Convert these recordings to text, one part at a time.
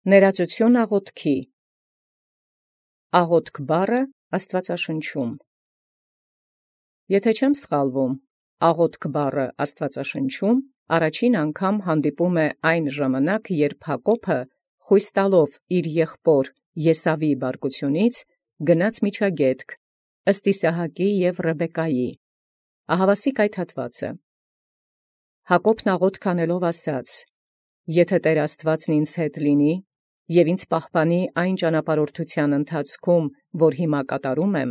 Ներածություն աղոթքի։ Աղոթք բառը Աստվածաշնչում։ Եթե չեմ սխալվում, աղոթք բառը Աստվածաշնչում առաջին անգամ հանդիպում է այն ժամանակ, երբ Հակոբը խույս տալով իր եղբոր Եսավի բարկությունից գնաց միջագետք, ըստ Իսահակի և Ռեբեկայի։ Ահավասիկ այդ հատվածը։ Հակոբն աղոթք անելով ասաց. «Եթե Տեր Աստուածն ինձ հետ լինի, և ինձ պահպանի այն ճանապարհորդութեան ընթացքում, որ հիմա կատարում եմ,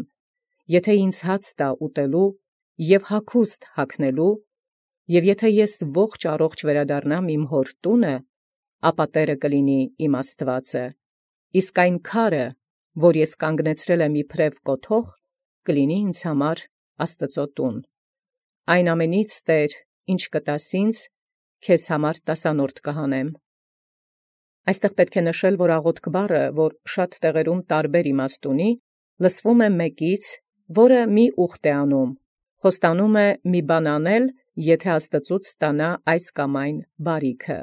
եթե ինձ հաց տա ուտելու և հագուստ հագնելու, և եթե ես ողջ առողջ վերադառնամ իմ հոր տունը, ապա Տէրը կլինի իմ Աստուածը, իսկ այն քարը, որ ես կանգնեցրել եմ իբրև կոթող, կլինի ինձ համար Աստուծոյ տուն։ Այն ամենից, Տէր, ինչ կտաս ինձ, քեզ համար տասանորդ կհանեմ»։ Այստեղ պետք է նշել, որ աղոթք բառը, որ շատ տեղերում տարբեր իմաստ ունի, լսվում է մեկից, որը մի ուխտ է անում, խոստանում է մի բան անել, եթե Աստծուց ստանա այս կամ այն բարիքը։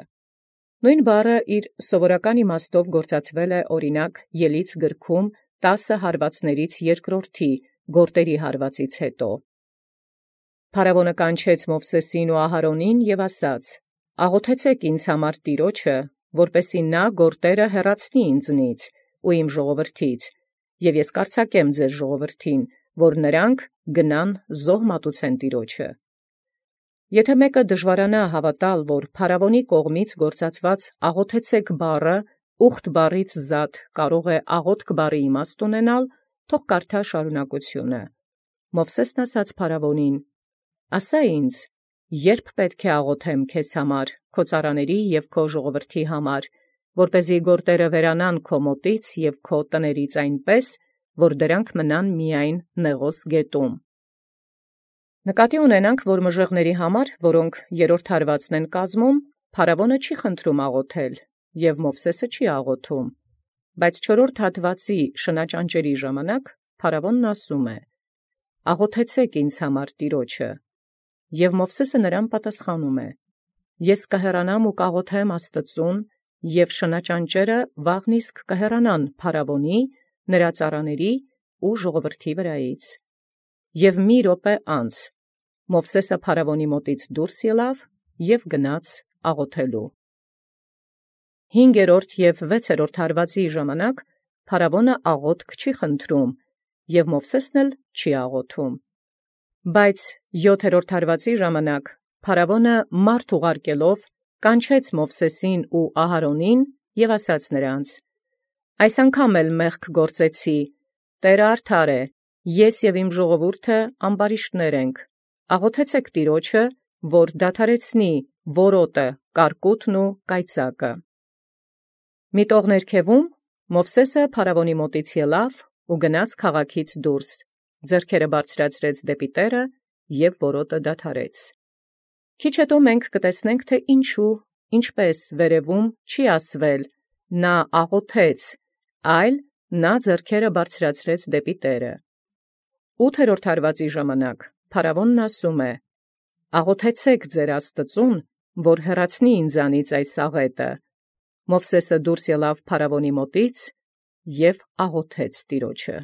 Նույն բառը իր սովորական իմաստով գործածվել է օրինակ Ելից գրքում 10 հարվածներից երկրորդի գործերի հարվածից հետո։ Փարավոնը կանչեց Մովսեսին ու Ահարոնին և ասաց. «Աղոթեցեք ինձ համար Տիրոջը, որպեսզի նա գործերը հեռացնի ինձնից ու իմ ժողովրդից, և ես կարձակեմ ձեր ժողովրդին, որ նրանք գնան զոհ մատուցեն Տիրոջը»։ Եթե մեկը դժվարանա հավատալ, որ փարավոնի կողմից գործածված աղոթեցեք բառը ուխտ բառից զատ կարող է աղոթք բառի իմաստ ունենալ, թող կարդա շարունակությունը։ Մովսեսն ասաց փարավոնին. «Ասա ինձ, երբ պետք է աղոթեմ քեզ համար, քո ծառաների և քո ժողովրդի համար, որպեսզի գործերը վերանան քո մոտից և քո տներից այնպես, որ դրանք մնան միայն Նեղոս գետում»։ Նկատի ունենանք, որ մժեղների համար, որոնք երրորդ հարվածն են կազմում, փարավոնը չի խնդրում աղոթել, և Մովսեսը չի աղոթում, բայց չորրորդ հատվածի շնաճանճերի ժամանակ փարավոնն ասում է. «Աղոթեցեք ինձ համար Տիրոջը», և Մովսեսը նրան պատասխանում է. «Ես կհեռանամ ու կաղոթեմ Աստծուն, և շնաճանճերը վաղն իսկ կհեռանան փարավոնի, նրա ծառաների ու ժողովրդի վրայից»։ Եւ մի րոպե անց Մովսեսը փարավոնի մոտից դուրս ելավ և գնաց աղոթելու։ 5-րդ և 6-րդ հարվածի ժամանակ փարավոնը աղոթք չի խնդրում, և Մովսեսն էլ չի աղոթում։ Բայց 7-րդ հարվածի ժամանակ փարավոնը մարդ ուղարկելով կանչեց Մովսեսին ու Ահարոնին և ասաց նրանց. «Այս անգամ էլ մեղք գործեցի, Տէրը արդար է, ես և իմ ժողովուրդը ամբարիշտներ ենք, աղոթեցեք Տիրոջը, որ դադարեցնի որոտը, կարկուտն ու կայծակը»։ Մի տող ներքևում Մովսեսը փարավոնի մոտից ելավ ու գնաց քաղաքից դուրս, ձեռքերը բարձրացրեց դեպի Տէրը և որոտը դադարեց։ Քիչ հետո մենք կտեսնենք, թե ինչու, ինչպես վերևում չի ասվել «նա աղոթեց», այլ «նա ձեռքերը բարձրացրեց դեպի Տէրը»։ 8-րդ հարվածի ժամանակ փարավոնն ասում է. «Աղոթեցեք ձեր Աստծուն, որ հեռացնի ինձանից այս աղետը»։ Մովսեսը դուրս ելավ փարավոնի մոտից և աղոթեց Տիրոջը։